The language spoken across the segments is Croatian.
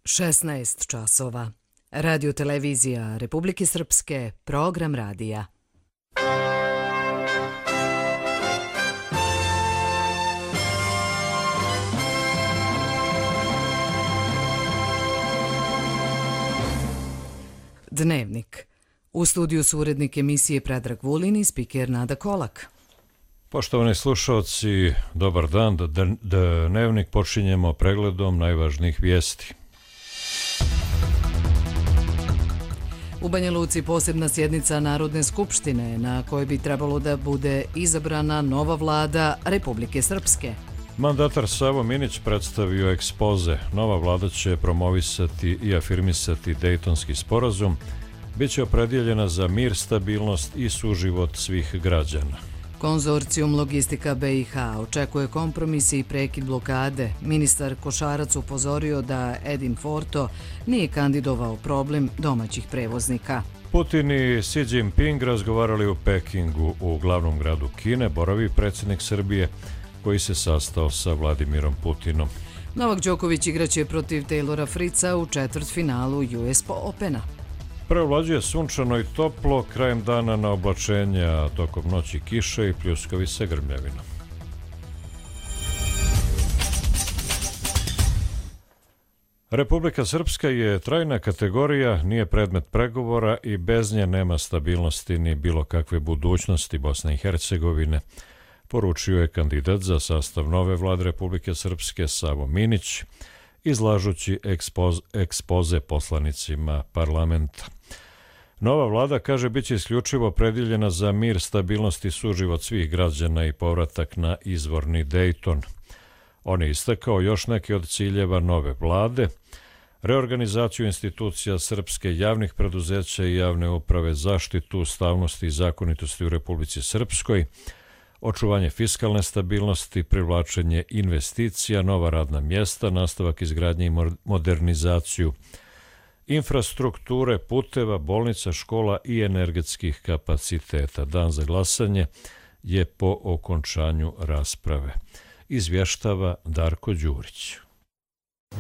16 časova. Radio-televizija Republike Srpske, program radija. Dnevnik. U studiju su urednik emisije Predrag Vulin i spiker Nada Kolak. Poštovani slušalci, dobar dan. Dnevnik počinjemo pregledom najvažnijih vijesti. U Banja Luci posebna sjednica Narodne skupštine na kojoj bi trebalo da bude izabrana nova vlada Republike Srpske. Mandatar Savo Minić predstavio ekspoze. Nova vlada će promovisati i afirmisati Dejtonski sporazum. Biće opredjeljena za mir, stabilnost i suživot svih građana. Konzorcijum Logistika BiH očekuje kompromis i prekid blokade. Ministar Košarac upozorio da Edin Forto nije kandidovao problem domaćih prevoznika. Putin i Xi Jinping razgovarali u Pekingu, u glavnom gradu Kine. Boravi predsjednik Srbije koji se sastao sa Vladimirom Putinom. Novak Đoković igraće protiv Taylora Fritza u četvrtfinalu US Opena. Preovlađuje sunčano i toplo, krajem dana na oblačenja, tokom noći kiše i pljuskovi sa grmljavinom. Republika Srpska je trajna kategorija, nije predmet pregovora i bez nje nema stabilnosti ni bilo kakve budućnosti Bosne i Hercegovine, poručio je kandidat za sastav nove vlade Republike Srpske Savo Minić, izlažući ekspoze poslanicima parlamenta. Nova vlada, kaže, biće isključivo opredjeljena za mir, stabilnost i suživot svih građana i povratak na izvorni Dejton. On je istakao još neke od ciljeva nove vlade: reorganizaciju institucija srpske, javnih preduzeća i javne uprave, zaštitu ustavnosti i zakonitosti u Republici Srpskoj, očuvanje fiskalne stabilnosti, privlačenje investicija, nova radna mjesta, nastavak izgradnje i modernizaciju infrastrukture, puteva, bolnica, škola i energetskih kapaciteta. Dan za glasanje je po okončanju rasprave. Izvještava Darko Đurić.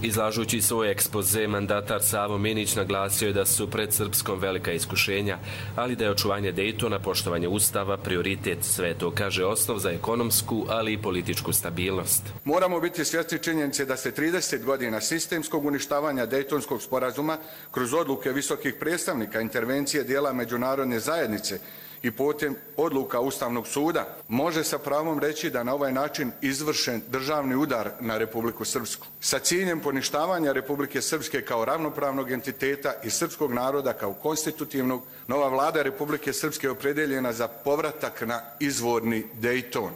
Izlažući svoj ekspoze, mandatar Savo Minić naglasio je da su pred Srpskom velika iskušenja, ali da je očuvanje Dejtona, poštovanje Ustava, prioritet. Sve to, kaže, osnov za ekonomsku, ali i političku stabilnost. Moramo biti svjesni činjenice da se 30 godina sistemskog uništavanja Dejtonskog sporazuma kroz odluke visokih predstavnika, intervencije dijela međunarodne zajednice i putem odluka Ustavnog suda može sa pravom reći da na ovaj način izvršen državni udar na Republiku Srpsku. Sa ciljem poništavanja Republike Srpske kao ravnopravnog entiteta i srpskog naroda kao konstitutivnog, nova vlada Republike Srpske je opredjeljena za povratak na izvorni Dejton.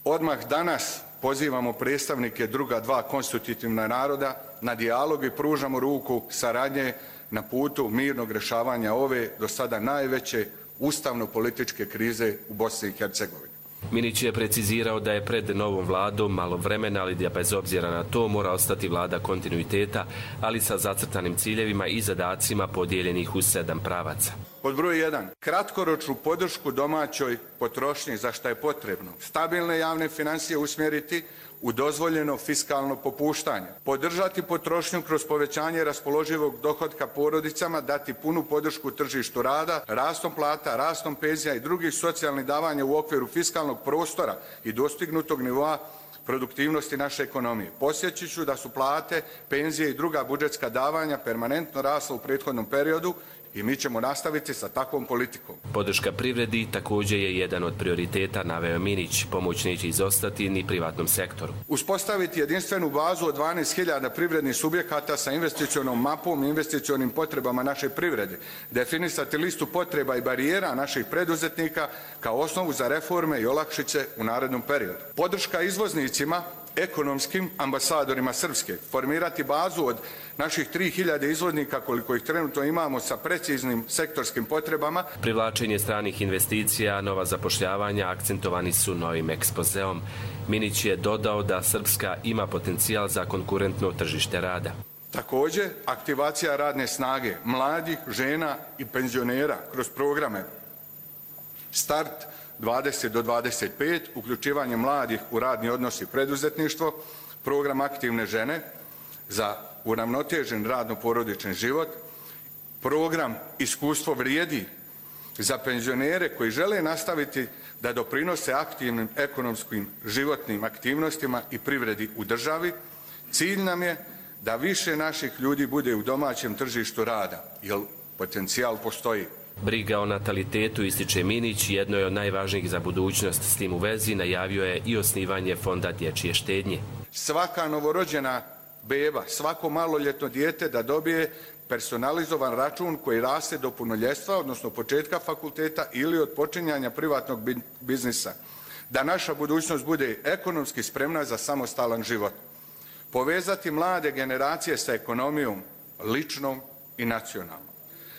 Odmah danas pozivamo predstavnike druga dva konstitutivna naroda na dijalog i pružamo ruku saradnje na putu mirnog rješavanja ove do sada najveće ustavno-političke krize u Bosni i Hercegovini. Minić je precizirao da je pred novom vladom malo vremena, ali da bez obzira na to mora ostati vlada kontinuiteta, ali sa zacrtanim ciljevima i zadacima podijeljenih u 7 pravaca. Pod broj 1. Kratkoročnu podršku domaćoj potrošnji, za što je potrebno stabilne javne financije usmjeriti u dozvoljeno fiskalno popuštanje, podržati potrošnju kroz povećanje raspoloživog dohotka porodicama, dati punu podršku tržištu rada, rastom plata, rastom penzija i drugih socijalnih davanja u okviru fiskalnog prostora i dostignutog nivoa produktivnosti naše ekonomije. Podsjetit ću da su plate, penzije i druga budžetska davanja permanentno rasla u prethodnom periodu i mi ćemo nastaviti sa takvom politikom. Podrška privredi također je jedan od prioriteta, naveo Minić. Pomoć neće izostati ni privatnom sektoru. Uspostaviti jedinstvenu bazu od 12.000 privrednih subjekata sa investicionom mapom i investicionim potrebama naše privrede. Definisati listu potreba i barijera naših preduzetnika kao osnovu za reforme i olakšice u narednom periodu. Podrška izvoznicima, ekonomskim ambasadorima Srpske, formirati bazu od naših 3.000 izvoznika koliko ih trenutno imamo sa preciznim sektorskim potrebama. Privlačenje stranih investicija, nova zapošljavanja akcentovani su novim ekspozeom. Minić je dodao da Srpska ima potencijal za konkurentno tržište rada. Također, aktivacija radne snage, mladih, žena i penzionera kroz programe Start 20 do 25, uključivanje mladih u radni odnos i preduzetništvo, program aktivne žene za uravnotežen radno-porodični život, program Iskustvo vrijedi za penzionere koji žele nastaviti da doprinose aktivnim ekonomskim životnim aktivnostima i privredi u državi. Cilj nam je da više naših ljudi bude u domaćem tržištu rada, jer potencijal postoji. Briga o natalitetu, ističe Minić, jedno je od najvažnijih za budućnost. S tim u vezi najavio je i osnivanje Fonda dječje štednje. Svaka novorođena beba, svako maloljetno dijete da dobije personalizovan račun koji raste do punoljetstva, odnosno početka fakulteta ili od počinjanja privatnog biznisa. Da naša budućnost bude ekonomski spremna za samostalan život. Povezati mlade generacije sa ekonomijom, ličnom i nacionalnom.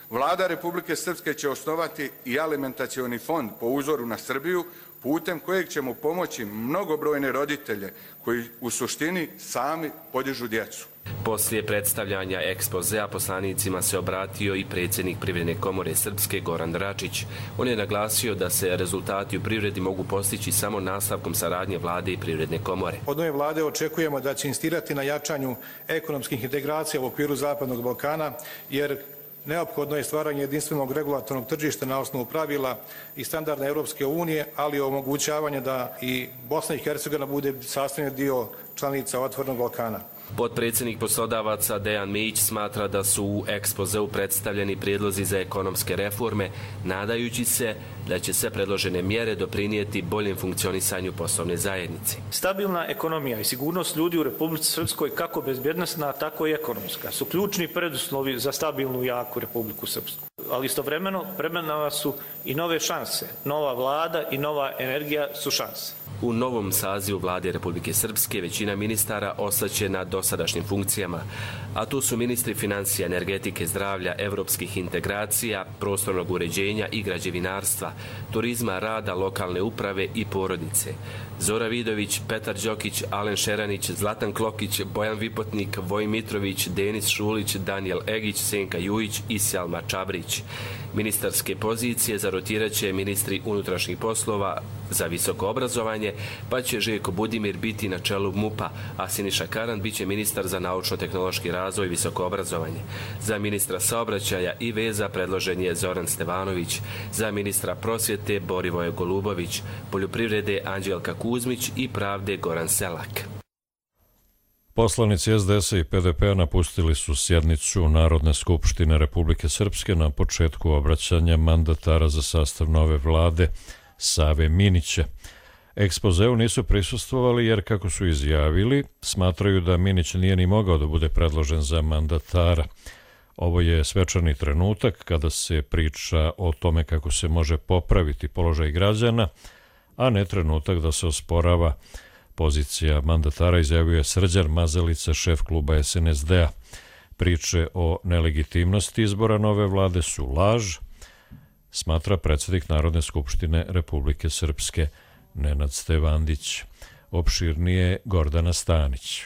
Vlada Republike Srpske će osnovati i alimentacioni fond po uzoru na Srbiju, putem kojeg ćemo pomoći mnogobrojne roditelje koji u suštini sami podižu djecu. Poslije predstavljanja ekspozea poslanicima se obratio i predsjednik Privredne komore Srpske Goran Dračić. On je naglasio da se rezultati u privredi mogu postići samo nastavkom saradnje vlade i Privredne komore. Od nove vlade očekujemo da će insistirati na jačanju ekonomskih integracija u okviru Zapadnog Balkana, jer neophodno je stvaranje jedinstvenog regulatornog tržišta na osnovu pravila i standarda Europske unije, ali i omogućavanje da i Bosna i Hercegovina bude sastavni dio članica Otvorenog Balkana. Potpredsjednik poslodavaca Dejan Mijić smatra da su u ekspozeu predstavljeni prijedlozi za ekonomske reforme, nadajući se da će sve predložene mjere doprinijeti boljem funkcionisanju poslovne zajednice. Stabilna ekonomija i sigurnost ljudi u Republici Srpskoj, kako bezbjednosna, tako i ekonomska, su ključni preduslovi za stabilnu i jaku Republiku Srpsku. Ali istovremeno pred nama su i nove šanse. Nova vlada i nova energija su šanse. U novom sazivu vlade Republike Srpske većina ministara ostaće na dosadašnjim funkcijama, a tu su ministri financija, energetike, zdravlja, evropskih integracija, prostornog uređenja i građevinarstva, turizma, rada, lokalne uprave i porodice. Zora Vidović, Petar Đokić, Alen Šeranić, Zlatan Klokić, Bojan Vipotnik, Vojin Mitrović, Denis Šulić, Danijel Egić, Senka Jujić i Sjalma Čabrić. Ministarske pozicije zarotirat će ministri unutrašnjih poslova za visoko obrazovanje, pa će Željko Budimir biti na čelu MUP-a, a Siniša Karan biće ministar za naučno-tehnološki razvoj i visoko obrazovanje. Za ministra saobraćaja i veza predložen je Zoran Stevanović, za ministra prosvjete Borivoje Golubović, poljoprivrede Anđelka Kuzmić i pravde Goran Selak. Poslanici SDS-a i PDP-a napustili su sjednicu Narodne skupštine Republike Srpske na početku obraćanja mandatara za sastav nove vlade Save Minića. Ekspozeu nisu prisustvovali jer, kako su izjavili, smatraju da Minić nije ni mogao da bude predložen za mandatara. Ovo je svečani trenutak kada se priča o tome kako se može popraviti položaj građana, a ne trenutak da se osporava pozicija mandatara, izjavio je Srđan Mazalica, šef kluba SNSD-a. Priče o nelegitimnosti izbora nove vlade su laž, smatra predsjednik Narodne skupštine Republike Srpske Nenad Stevandić. Opširnije Gordana Stanić.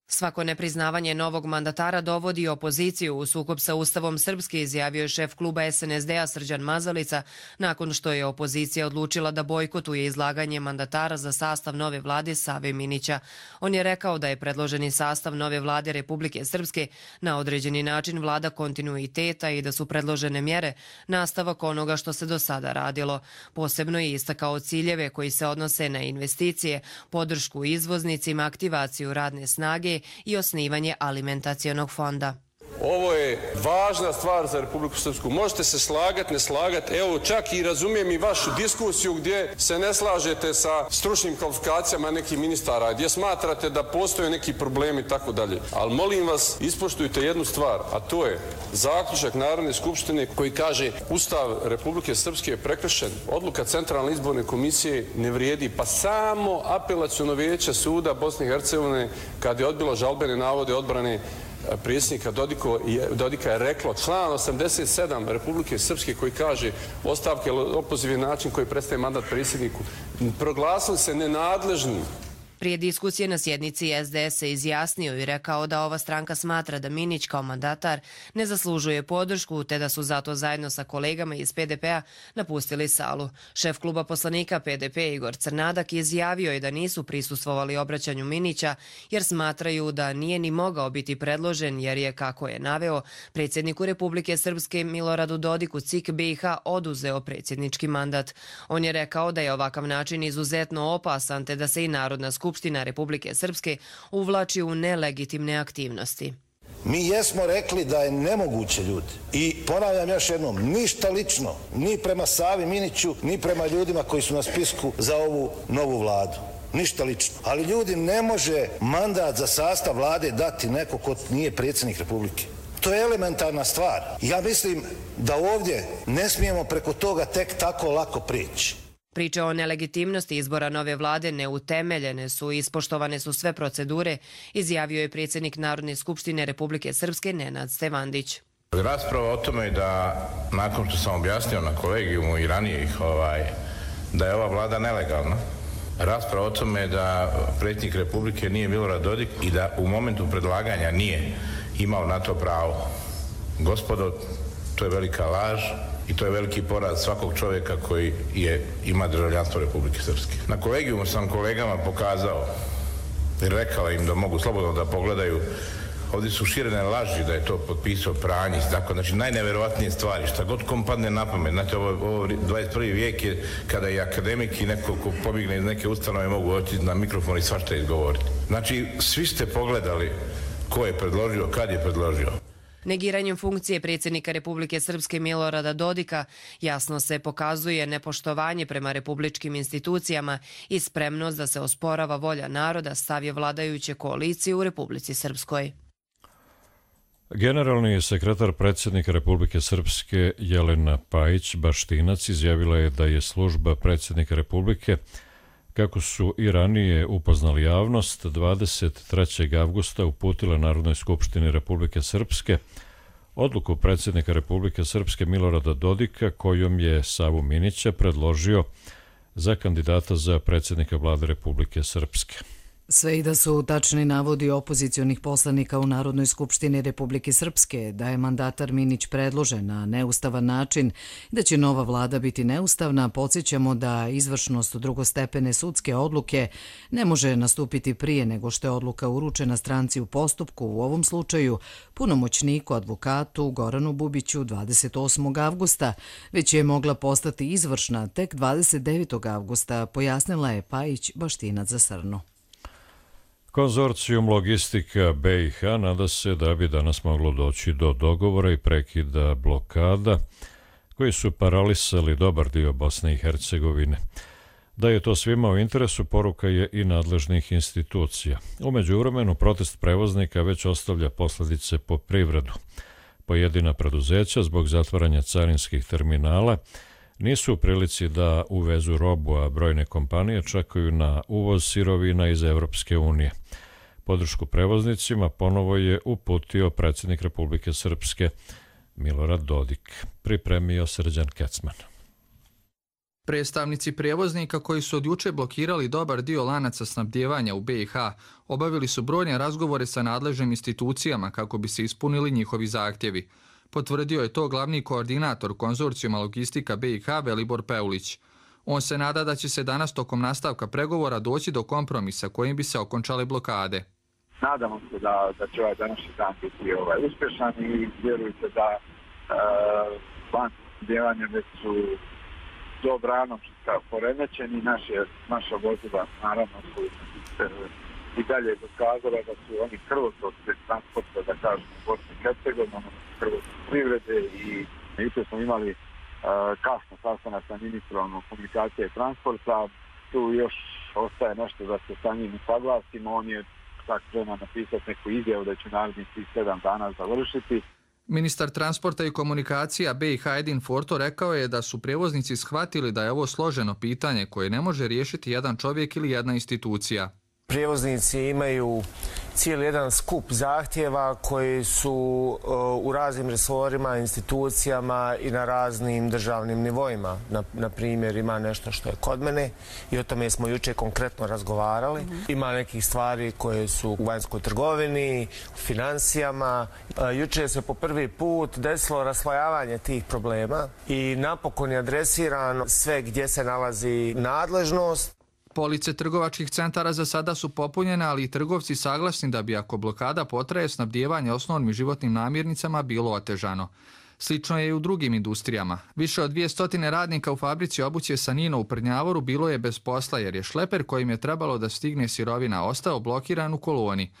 Svako nepriznavanje novog mandatara dovodi opoziciju u sukob sa Ustavom Srpske, izjavio je šef kluba SNSD-a Srđan Mazalica nakon što je opozicija odlučila da bojkotuje izlaganje mandatara za sastav nove vlade Save Minića. On je rekao da je predloženi sastav nove vlade Republike Srpske na određeni način vlada kontinuiteta i da su predložene mjere nastavak onoga što se do sada radilo. Posebno je istakao ciljeve koji se odnose na investicije, podršku izvoznicima, aktivaciju radne snage i osnivanje alimentacionog fonda. Ovo je važna stvar za Republiku Srpsku. Možete se slagati, ne slagati. Evo, čak i razumijem i vašu diskusiju gdje se ne slažete sa stručnim kvalifikacijama nekih ministara, gdje smatrate da postoje neki problemi i tako dalje. Ali molim vas, ispoštujte jednu stvar, a to je zaključak Narodne skupštine koji kaže Ustav Republike Srpske je prekršen. Odluka Centralne izborne komisije ne vrijedi, pa samo apelaciono vijeće suda Bosne i Hercegovine, kad je odbilo žalbene navode odbrane predsjednika Dodika, je reklo član 87 Republike Srpske koji kaže ostavke ili opoziv je način koji prestaje mandat predsjedniku, proglasili se nenadležnim. Prije diskusije na sjednici SDS se izjasnio i rekao da ova stranka smatra da Minić kao mandatar ne zaslužuje podršku, te da su zato zajedno sa kolegama iz PDP-a napustili salu. Šef kluba poslanika PDP Igor Crnadak izjavio je da nisu prisustvovali obraćanju Minića jer smatraju da nije ni mogao biti predložen jer je, kako je naveo, predsjedniku Republike Srpske Miloradu Dodiku CIK BiH oduzeo predsjednički mandat. On je rekao da je ovakav način izuzetno opasan te da se i Narodna skupština Republike Srpske uvlači u nelegitimne aktivnosti. Mi jesmo rekli da je nemoguće, ljudi. I ponavljam još jednom, ništa lično, ni prema Savi Miniću, ni prema ljudima koji su na spisku za ovu novu vladu. Ništa lično. Ali ljudi, ne može mandat za sastav vlade dati neko ko nije predsjednik Republike. To je elementarna stvar. Ja mislim da ovdje ne smijemo preko toga tek tako lako prići. Priče o nelegitimnosti izbora nove vlade neutemeljene su i ispoštovane su sve procedure, izjavio je predsjednik Narodne skupštine Republike Srpske Nenad Stevandić. Rasprava o tome da, nakon što sam objasnio na kolegijumu i ranije da je ova vlada nelegalna, rasprava o tome da predsjednik Republike nije Milorad Dodik i da u momentu predlaganja nije imao na to pravo. Gospodo, to je velika laž i to je veliki poraz svakog čovjeka koji ima državljanstvo Republike Srpske. Na kolegijumu sam kolegama pokazao i rekao im da mogu slobodno da pogledaju. Ovdje su širene laži da je to potpisao Pranjić, tako, znači najneverovatnije stvari, šta god kom padne na pamet. Znate, ovo 21. vijek je kada i akademik i neko ko pobjegne iz neke ustanove mogu otići na mikrofon i svašta izgovoriti. Znači, svi ste pogledali ko je predložio, kad je predložio. Negiranjem funkcije predsjednika Republike Srpske Milorada Dodika jasno se pokazuje nepoštovanje prema republičkim institucijama i spremnost da se osporava volja naroda, stav je vladajuće koalicije u Republici Srpskoj. Generalni sekretar predsjednika Republike Srpske Jelena Pajić-Baštinac izjavila je da je služba predsjednika Republike, kako su i ranije upoznali javnost, 23. avgusta uputila Narodnoj skupštini Republike Srpske odluku predsjednika Republike Srpske Milorada Dodika kojom je Savu Minića predložio za kandidata za predsjednika vlade Republike Srpske. Sve i da su tačni navodi opozicionih poslanika u Narodnoj skupštini Republike Srpske da je mandatar Minić predložen na neustavan način i da će nova vlada biti neustavna, podsjećamo da izvršnost drugostepene sudske odluke ne može nastupiti prije nego što je odluka uručena stranci u postupku, u ovom slučaju punomoćniku advokatu Goranu Bubiću 28. avgusta, već je mogla postati izvršna tek 29. avgusta, pojasnila je Pajić-Baštinac za Srnu. Konzorcijum Logistika BiH nada se da bi danas moglo doći do dogovora i prekida blokada koji su paralisali dobar dio Bosne i Hercegovine. Da je to svima u interesu, poruka je i nadležnih institucija. U međuvremenu, protest prevoznika već ostavlja posljedice po privredu. Pojedina preduzeća zbog zatvaranja carinskih terminala nisu u prilici da uvezu robu, a brojne kompanije čekaju na uvoz sirovina iz Evropske unije. Podršku prevoznicima ponovo je uputio predsjednik Republike Srpske Milorad Dodik. Pripremio Srđan Kecman. Predstavnici prijevoznika koji su od juče blokirali dobar dio lanaca snabdijevanja u BiH obavili su brojne razgovore sa nadležnim institucijama kako bi se ispunili njihovi zahtjevi. Potvrdio je to glavni koordinator konzorcijuma Logistika BiH Velibor Peulić. On se nada da će se danas tokom nastavka pregovora doći do kompromisa kojim bi se okončale blokade. Nadamo se da će ovaj današnji dan biti uspješan i vjerujte da lanci snabdijevanja već su dobrano poremećeni. Naša vozila naravno su i dalje dokazala da su oni krvotok transporta, da kažemo, Bosne i Hercegovine, krvotok privrede i juče smo imali kasno sastanak sa ministrom komunikacije i transporta. Tu još ostaje nešto da se sa njim saglasimo. On je tak spreman napisati neku izjavu da će narednih 7 dana završiti. Ministar transporta i komunikacija BiH Edin Forto rekao je da su prijevoznici shvatili da je ovo složeno pitanje koje ne može riješiti jedan čovjek ili jedna institucija. Prijevoznici imaju cijeli jedan skup zahtjeva koji su u raznim resorima, institucijama i na raznim državnim nivoima. Na primjer, ima nešto što je kod mene i o tome smo jučer konkretno razgovarali. Ima nekih stvari koje su u vanjskoj trgovini, u financijama. Jučer se po prvi put desilo raslojavanje tih problema i napokon je adresirano sve gdje se nalazi nadležnost. Police trgovačkih centara za sada su popunjene, ali i trgovci saglasni da bi ako blokada potraje, snabdijevanje osnovnim životnim namirnicama bilo otežano. Slično je i u drugim industrijama. Više od 200 radnika u fabrici obuće Sanino u Prnjavoru bilo je bez posla jer je šleper kojim je trebalo da stigne sirovina ostao blokiran u koloni.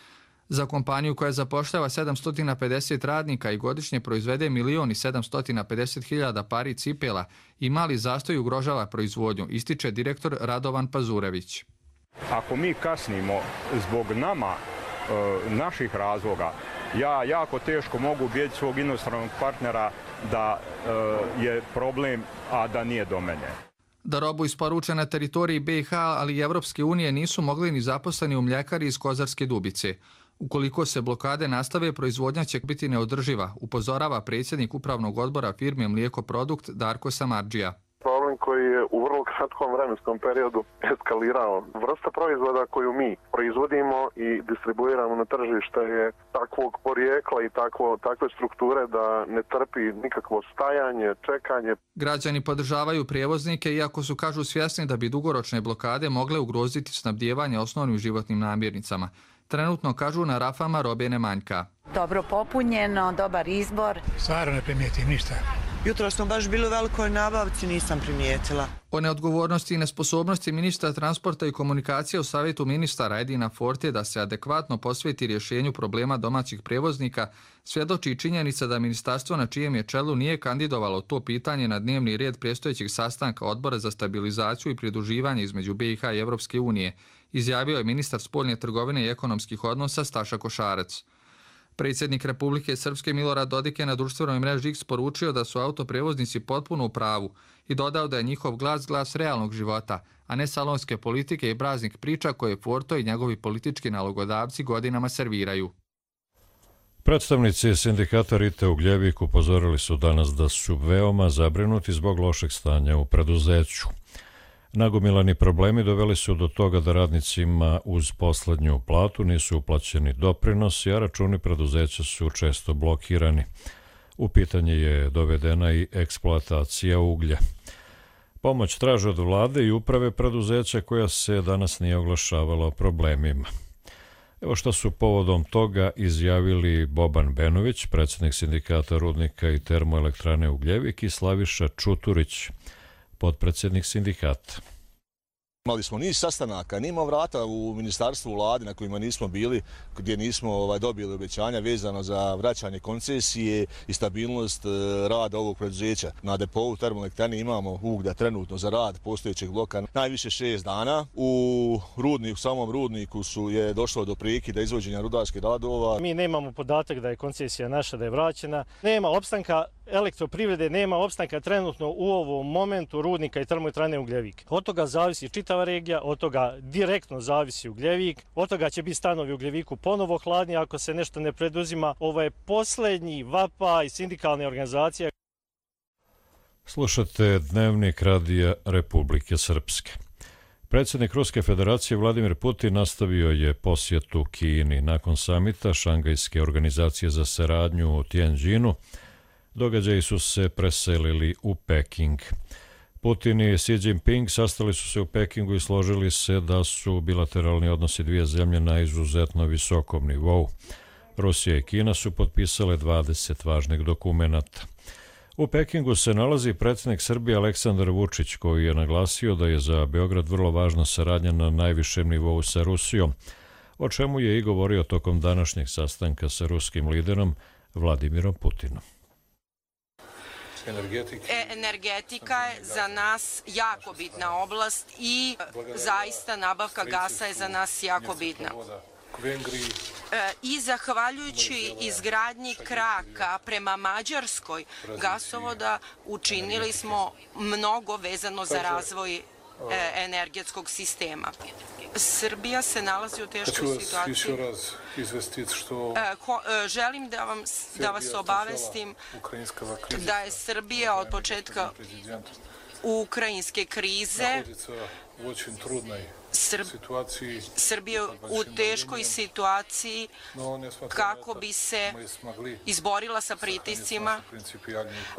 Za kompaniju koja zapošljava 750 radnika i godišnje proizvede 1.750.000 pari cipela i mali zastoj ugrožava proizvodnju, ističe direktor Radovan Pazurević. Ako mi kasnimo zbog naših razloga, ja jako teško mogu ubijeti svog inostranog partnera da je problem, a da nije do mene. Da robu isporuče na teritoriji BiH, ali i Evropske unije nisu mogli ni zaposleni u mljekari iz Kozarske Dubice. Ukoliko se blokade nastave, proizvodnja će biti neodrživa, upozorava predsjednik upravnog odbora firme Mlijeko Produkt Darko Samardžija. Problem koji je u vrlo kratkom vremenskom periodu eskalirao. Vrsta proizvoda koju mi proizvodimo i distribuiramo na tržište je takvog porijekla i takve strukture da ne trpi nikakvo stajanje, čekanje. Građani podržavaju prijevoznike, iako su, kažu, svjesni da bi dugoročne blokade mogle ugroziti snabdijevanje osnovnim životnim namirnicama. Trenutno, kažu, na rafama robe ne manjka. Dobro popunjeno, dobar izbor. Stvarno ne primijetim ništa. Jutro smo baš bili u velikoj nabavci, nisam primijetila. O neodgovornosti i nesposobnosti ministra transporta i komunikacije u savjetu ministara Edina Forte da se adekvatno posveti rješenju problema domaćih prevoznika svjedoči i činjenica da ministarstvo na čijem je čelu nije kandidovalo to pitanje na dnevni red predstojećeg sastanka Odbora za stabilizaciju i pridruživanje između BiH i Evropske unije, izjavio je ministar spoljne trgovine i ekonomskih odnosa Staša Košarac. Predsjednik Republike Srpske Milorad Dodik je na društvenoj mreži X poručio da su autoprevoznici potpuno u pravu i dodao da je njihov glas glas realnog života, a ne salonske politike i praznih priča koje Forto i njegovi politički nalogodavci godinama serviraju. Predstavnici sindikata Rite Ugljevik upozorili su danas da su veoma zabrinuti zbog lošeg stanja u preduzeću. Nagomilani problemi doveli su do toga da radnicima uz poslednju platu nisu uplaćeni doprinosi, a računi preduzeća su često blokirani. U pitanje je dovedena i eksploatacija uglja. Pomoć traže od vlade i uprave preduzeća koja se danas nije oglašavala o problemima. Evo što su povodom toga izjavili Boban Benović, predsjednik sindikata rudnika i termoelektrane Ugljevik, i Slaviša Čuturić, potpredsjednik sindikata. Imali smo niz sastanaka, nima vrata u ministarstvu, u vladi na kojima nismo bili, gdje nismo dobili obećanja vezano za vraćanje koncesije i stabilnost rada ovog preduzeća. Na depovu termoelektrane imamo uglja trenutno za rad postojećeg bloka najviše 6 dana. U samom rudniku je došlo do prekida izvođenja rudarskih radova. Mi nemamo podatak da je koncesija naša, da je vraćena. Nema opstanka elektroprivrede, nema opstanka trenutno u ovom momentu rudnika i termoelektrane Ugljevik. Od toga zavisi čitava regija, od toga direktno zavisi Ugljevik, od toga će biti stanovi u Ugljeviku ponovo hladni ako se nešto ne preduzima. Ovo je posljednji vapaj sindikalne organizacije. Slušate Dnevnik Radija Republike Srpske. Predsjednik Ruske federacije Vladimir Putin nastavio je posjetu Kini. Nakon samita Šangajske organizacije za saradnju u Tianjinu, događaji su se preselili u Peking. Putin i Xi Jinping sastali su se u Pekingu i složili se da su bilateralni odnosi dvije zemlje na izuzetno visokom nivou. Rusija i Kina su potpisale 20 važnih dokumenata. U Pekingu se nalazi predsjednik Srbije Aleksandar Vučić, koji je naglasio da je za Beograd vrlo važna saradnja na najvišem nivou sa Rusijom, o čemu je i govorio tokom današnjeg sastanka sa ruskim liderom Vladimirom Putinom. Energetika je za nas jako bitna oblast i zaista nabavka gasa je za nas jako bitna. I zahvaljujući izgradnji kraka prema Mađarskoj gasovoda učinili smo mnogo vezano za razvoj energetskog sistema. Srbija se nalazi u teškoj situaciji. Hoću vas još raz izvestiti što... Želim da vas obavestim da je Srbija od početka ukrajinske krize Srbija u teškoj situaciji kako bi se izborila sa pritiscima,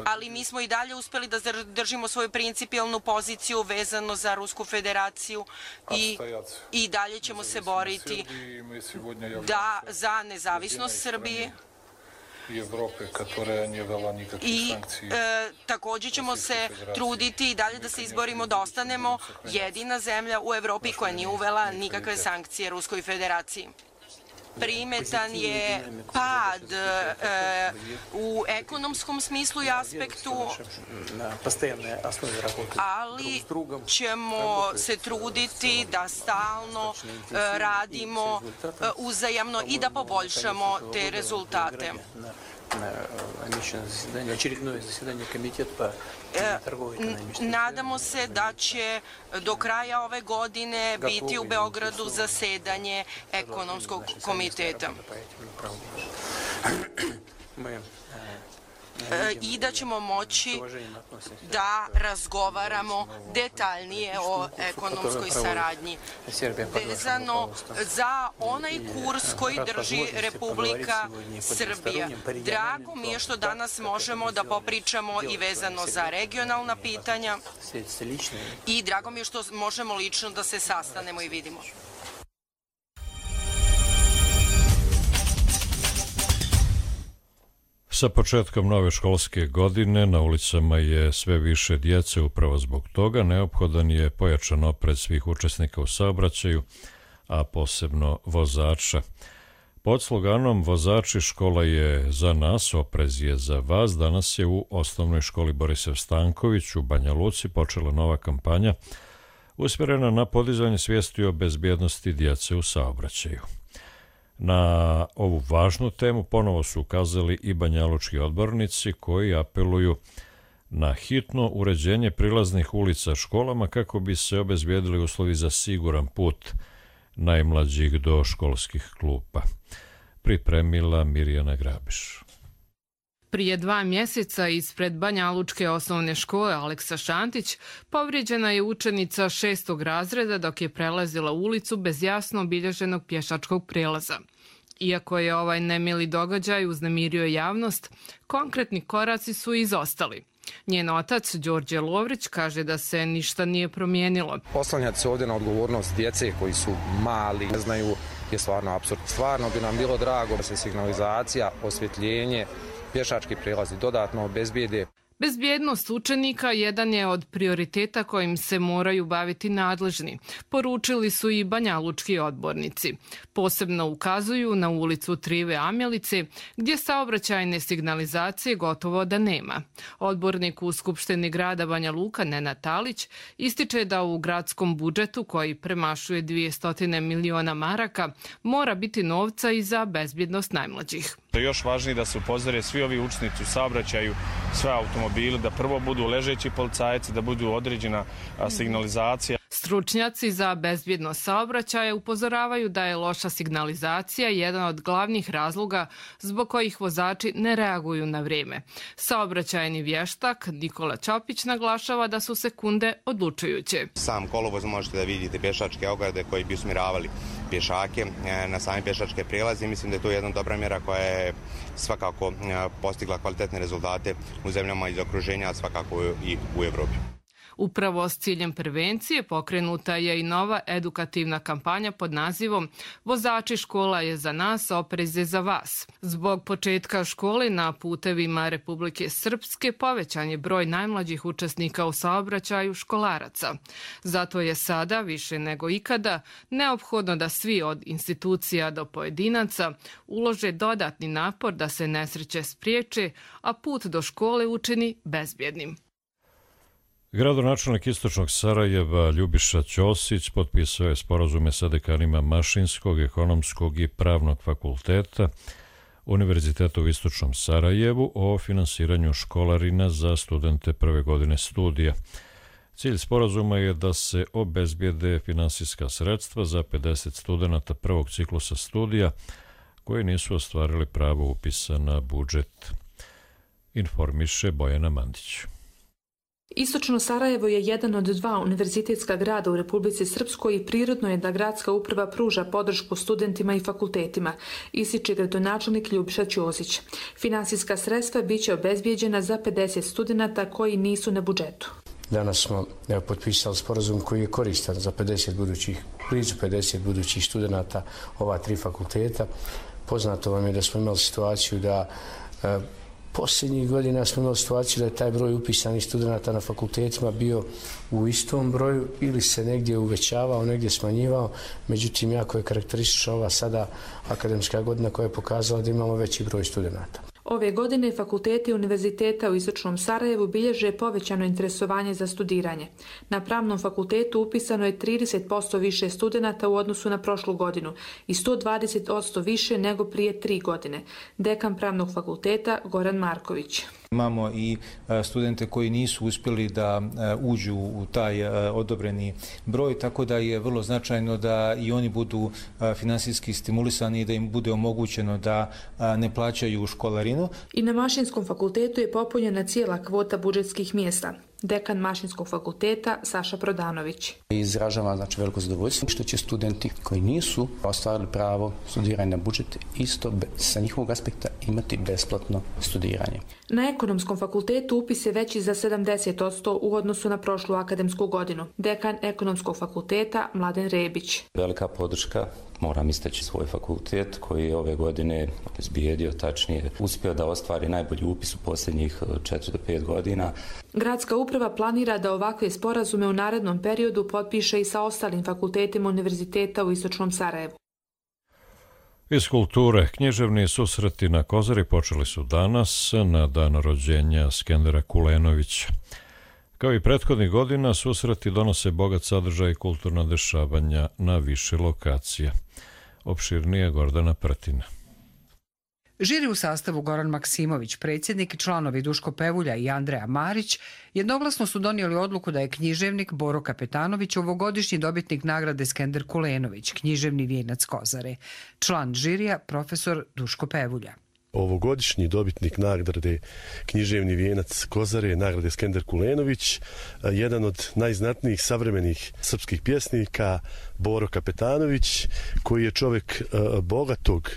ali mi smo i dalje uspeli da držimo svoju principijelnu poziciju vezano za Rusku federaciju i dalje ćemo se boriti za nezavisnost Srbije. I također ćemo se truditi i dalje da se izborimo da ostanemo jedina zemlja u Evropi koja nije uvela nikakve sankcije Ruskoj federaciji. Primetan je pad u ekonomskom smislu i aspektu, ali ćemo se truditi da stalno radimo uzajamno i da poboljšamo te rezultate. Nadamo se da će do kraja ove godine biti u Beogradu zasedanje ekonomskog komiteta i da ćemo moći da razgovaramo detaljnije o ekonomskoj saradnji vezano za onaj kurs koji drži Republika Srbija. Drago mi je što danas možemo da popričamo i vezano za regionalna pitanja i drago mi je što možemo lično da se sastanemo i vidimo. Sa početkom nove školske godine na ulicama je sve više djece, upravo zbog toga neophodan je pojačan oprez svih učesnika u saobraćaju, a posebno vozača. Pod sloganom "Vozači, škola je za nas, oprez je za vas" danas je u osnovnoj školi Borisav Stanković u Banja Luci počela nova kampanja usmjerena na podizanje svijesti o bezbjednosti djece u saobraćaju. Na ovu važnu temu ponovo su ukazali i banjalučki odbornici koji apeluju na hitno uređenje prilaznih ulica školama kako bi se obezbijedili uslovi za siguran put najmlađih do školskih klupa. Pripremila Mirjana Grabiš. Prije 2 mjeseca ispred banjalučke osnovne škole Aleksa Šantić povrijeđena je učenica 6. razreda dok je prelazila ulicu bez jasno obilježenog pješačkog prijelaza. Iako je ovaj nemili događaj uznemirio javnost, konkretni koraci su izostali. Njen otac, Đorđe Lovrić, kaže da se ništa nije promijenilo. Oslanjati se ovdje na odgovornost djece koji su mali, ne znaju, je stvarno apsurd. Stvarno bi nam bilo drago da se signalizacija, osvjetljenje, pješački prijelazi dodatno obezbijede. Bezbjednost učenika jedan je od prioriteta kojim se moraju baviti nadležni, poručili su i banjalučki odbornici. Posebno ukazuju na ulicu Trive Amjelice, gdje saobraćajne signalizacije gotovo da nema. Odbornik u Skupštini grada Banja Luka, Nenad Talić, ističe da u gradskom budžetu, koji premašuje 200 miliona maraka, mora biti novca i za bezbjednost najmlađih. Još važnije da se upozore svi ovi učenici u saobraćaju, sve automobili, da prvo budu ležeći policajci, da budu određena signalizacija. Stručnjaci za bezbjednost saobraćaja upozoravaju da je loša signalizacija jedan od glavnih razloga zbog kojih vozači ne reaguju na vrijeme. Saobraćajni vještak Nikola Ćopić naglašava da su sekunde odlučujuće. Sam kolovoz možete da vidite pješačke ograde koji bi usmjeravali pješake na same pješačke prijelaze. Mislim da je to jedna dobra mjera koja je svakako postigla kvalitetne rezultate u zemljama iz okruženja, a svakako i u Evropi. Upravo s ciljem prevencije pokrenuta je i nova edukativna kampanja pod nazivom "Vozači, škola je za nas, oprez je za vas". Zbog početka škole na putevima Republike Srpske povećan je broj najmlađih učesnika u saobraćaju školaraca. Zato je sada, više nego ikada, neophodno da svi od institucija do pojedinaca ulože dodatni napor da se nesreće spriječe, a put do škole učini bezbjednim. Gradonačelnik Istočnog Sarajeva Ljubiša Ćosić potpisao je sporazume sa dekanima Mašinskog, Ekonomskog i Pravnog fakulteta Univerziteta u Istočnom Sarajevu o finansiranju školarina za studente prve godine studija. Cilj sporazuma je da se obezbijede finansijska sredstva za 50 studenata prvog ciklusa studija koji nisu ostvarili pravo upisa na budžet, informiše Bojana Mandić. Istočno Sarajevo je jedan od dva univerzitetska grada u Republici Srpskoj i prirodno je da gradska uprava pruža podršku studentima i fakultetima, ističe gradonačelnik Ljubiša Ćosić. Finansijska sredstva biće obezbijeđena za 50 studenata koji nisu na budžetu. Danas smo potpisali sporazum koji je koristan za blizu 50 budućih studenata ova 3 fakulteta. Poznato vam je da smo imali situaciju da posljednjih godina smo imali situaciju da je taj broj upisanih studenata na fakultetima bio u istom broju ili se negdje uvećavao, negdje smanjivao. Međutim, jako je karakteristična ova sada akademska godina koja je pokazala da imamo veći broj studenata. Ove godine fakulteti univerziteta u Istočnom Sarajevu bilježe povećano interesovanje za studiranje. Na Pravnom fakultetu upisano je 30% više studenata u odnosu na prošlu godinu i 120% više nego prije 3 godine. Dekan Pravnog fakulteta Goran Marković. Imamo i studente koji nisu uspjeli da uđu u taj odobreni broj, tako da je vrlo značajno da i oni budu finansijski stimulisani i da im bude omogućeno da ne plaćaju školarinu. I na Mašinskom fakultetu je popunjena cijela kvota budžetskih mjesta. Dekan Mašinskog fakulteta Saša Prodanović. Izražava veliko zadovoljstvo što će studenti koji nisu ostvarili pravo studiranja na budžet isto sa njihovog aspekta imati besplatno studiranje. Na Ekonomskom fakultetu upis je veći za 70% u odnosu na prošlu akademsku godinu. Dekan Ekonomskog fakulteta Mladen Rebić. Velika podrška, moram istaći svoj fakultet koji je ove godine izbijedio, tačnije uspio da ostvari najbolji upis u posljednjih 4 do 5 godina. Gradska uprava planira da ovakve sporazume u narednom periodu potpiše i sa ostalim fakultetima univerziteta u Istočnom Sarajevu. Iz kulture, književni susreti na Kozari počeli su danas na dan rođenja Skendera Kulenovića. Kao i prethodnih godina, susreti donose bogat sadržaj i kulturna dešavanja na više lokacija. Opširnije Gordana Prtina. Žiri u sastavu Goran Maksimović, predsjednik i članovi Duško Pevulja i Andreja Marić jednoglasno su donijeli odluku da je književnik Boro Kapetanović ovogodišnji dobitnik nagrade Skender Kulenović, književni vijenac Kozare. Član žirija, profesor Duško Pevulja. Ovogodišnji dobitnik nagrade književni vijenac Kozare, nagrade Skender Kulenović, jedan od najznatnijih savremenih srpskih pjesnika, Boro Kapetanović, koji je čovjek bogatog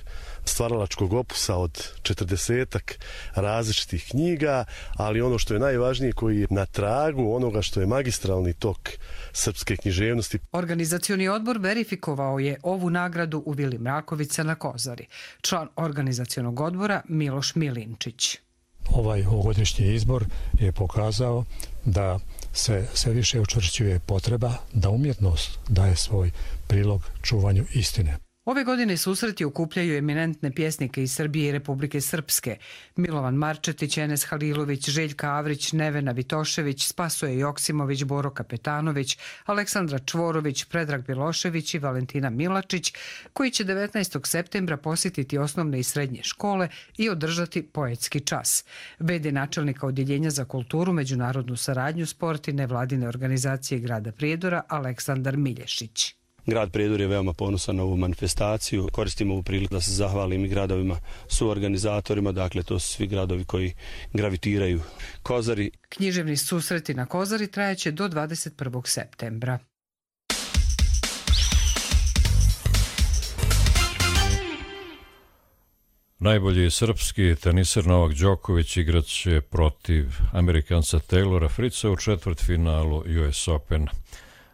stvaralačkog opusa od 40-ak različitih knjiga, ali ono što je najvažnije, koji je na tragu onoga što je magistralni tok srpske književnosti. Organizacioni odbor verifikovao je ovu nagradu u Vili Mrakovica na Kozari. Član organizacionog odbora Miloš Milinčić. Ovaj ovogodišnji izbor je pokazao da se sve više učvršćuje potreba da umjetnost daje svoj prilog čuvanju istine. Ove godine susreti okupljaju eminentne pjesnike iz Srbije i Republike Srpske. Milovan Marčetić, Enes Halilović, Željka Avrić, Nevena Vitošević, Spasoje Joksimović, Boro Kapetanović, Aleksandra Čvorović, Predrag Bilošević i Valentina Milačić, koji će 19. septembra posjetiti osnovne i srednje škole i održati poetski čas. V.d. načelnika Odjeljenja za kulturu, međunarodnu saradnju, sport i nevladine organizacije grada Prijedora Aleksandar Milješić. Grad Prijedor je veoma ponosan na ovu manifestaciju. Koristimo ovu priliku da se zahvalim i gradovima suorganizatorima, dakle to su svi gradovi koji gravitiraju Kozari. Književni susreti na Kozari trajaće do 21. septembra. Najbolji srpski teniser Novak Đoković igraće protiv Amerikanca Taylora Fritza u četvrtfinalu US Open.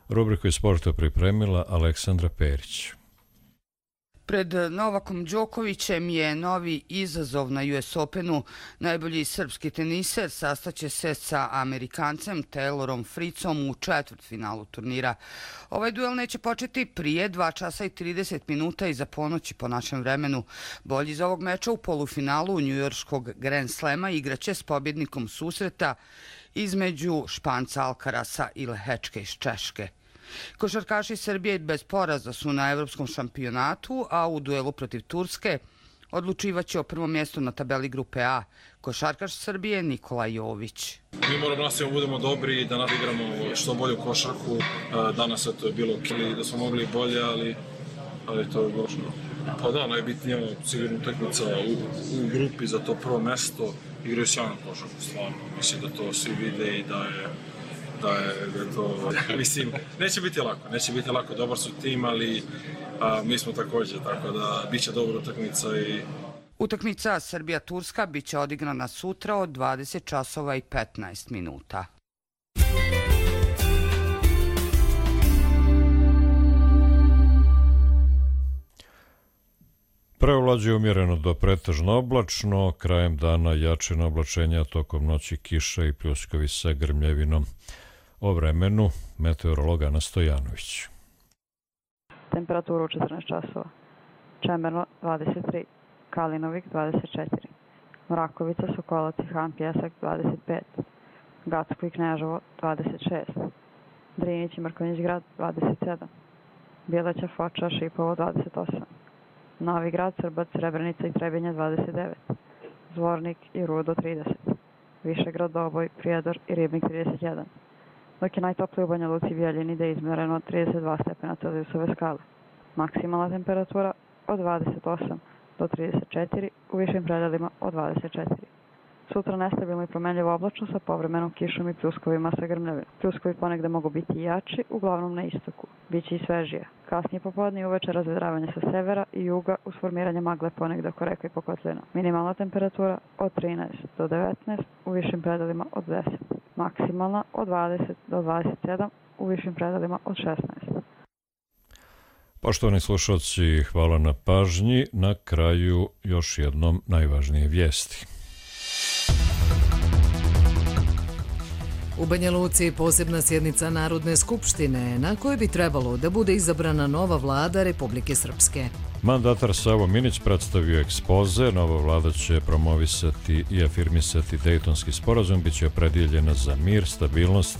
Rubriku iz sporta pripremila Aleksandra Perić. Pred Novakom Đokovićem je novi izazov na US Openu. Najbolji srpski teniser sastaće se sa Amerikancem Taylorom Fritzom u četvrtfinalu turnira. Ovaj duel neće početi prije 2 časa i 30 minuta iza ponoći po našem vremenu. Bolji iz ovog meča u polufinalu njujorškog Grand Slema igraće s pobjednikom susreta između Španca Alcarasa i Lehečke iz Češke. Košarkaši Srbije bez poraza su na evropskom šampionatu, a u duelu protiv Turske Odlučivaće o prvom mjestu na tabeli grupe A košarkaš Srbije Nikola Jović. Mi moramo nastaviti budemo dobri i da nadigramo što bolju košarku. Danas to je bilo da smo mogli bolje, ali to je bilo što. Pa da, najbitnija sigurno utakmica u grupi za to prvo mjesto. Igraju sjajnu košarku, stvarno. Mislim da to svi vide i da je to... Mislim, neće biti lako, dobar su tim, ali mi smo također, tako da bit će dobra utakmica i... Utakmica Srbija-Turska bit će odigrana sutra od 20 časova i 15 minuta. Preovlađuje umjereno do pretežno oblačno, krajem dana jačina oblačenja, tokom noći kiša i pljuskovi sa grmljevinom. O vremenu meteorolog Ana Stojanović. Temperaturu 14 časova. Čemerno 23, Kalinovik 24, Mrakovica, Sokolac i Han Pjesak 25, Gacko i Kneževo 26, Drinić i Mrkonjić grad 27, Bjeleća, Foča, Šipovo 28, Novi grad, Srbac, Srebrenica i Trebinje 29, Zvornik i Rudo 30, Višegrad, Doboj, Prijedor i Ribnik 31, dok je najtoplije u Banja Luci, Bijeljini da je izmjereno 32 stepena Celzijusove skale. Maksimalna temperatura od 28 do 34, u višim predelima od 24. Sutra nestabilno i promenljivo oblačno sa povremenom kišom i pljuskovima sa grmljavinom. Pljuskovi ponegde mogu biti jači, uglavnom na istoku. Biće i svežije. Kasnije popodne i uveče razvedravanje sa severa i juga uz formiranje magle ponegde oko reka i pokotlina. Minimalna temperatura od 13 do 19, u višim predelima od 10. Maksimalna od 20 do 27, u višim predelima od 16. Poštovani slušalci, hvala na pažnji. Na kraju još jednom najvažnije vijesti. U Banja Luci posebna sjednica Narodne skupštine na kojoj bi trebalo da bude izabrana nova vlada Republike Srpske. Mandatar Savo Minić predstavio ekspoze. Nova vlada će promovisati i afirmisati Dejtonski sporazum, bit će opredjeljena za mir, stabilnost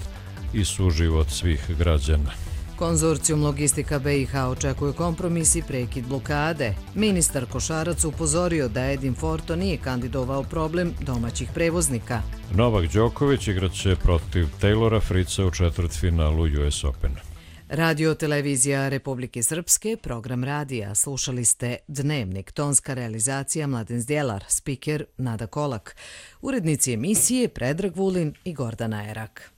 i suživot svih građana. Konzorcijum Logistika BiH očekuje kompromis i prekid blokade. Ministar Košarac upozorio da Edin Forto nije kandidovao problem domaćih prevoznika. Novak Đoković igraće protiv Taylora Fritza u četvrtfinalu US Opena. Radio televizija Republike Srpske, program radija. Slušali ste Dnevnik, tonska realizacija Mladen Zdjelar, spiker Nada Kolak. Urednici emisije Predrag Vulin i Gordana Erak.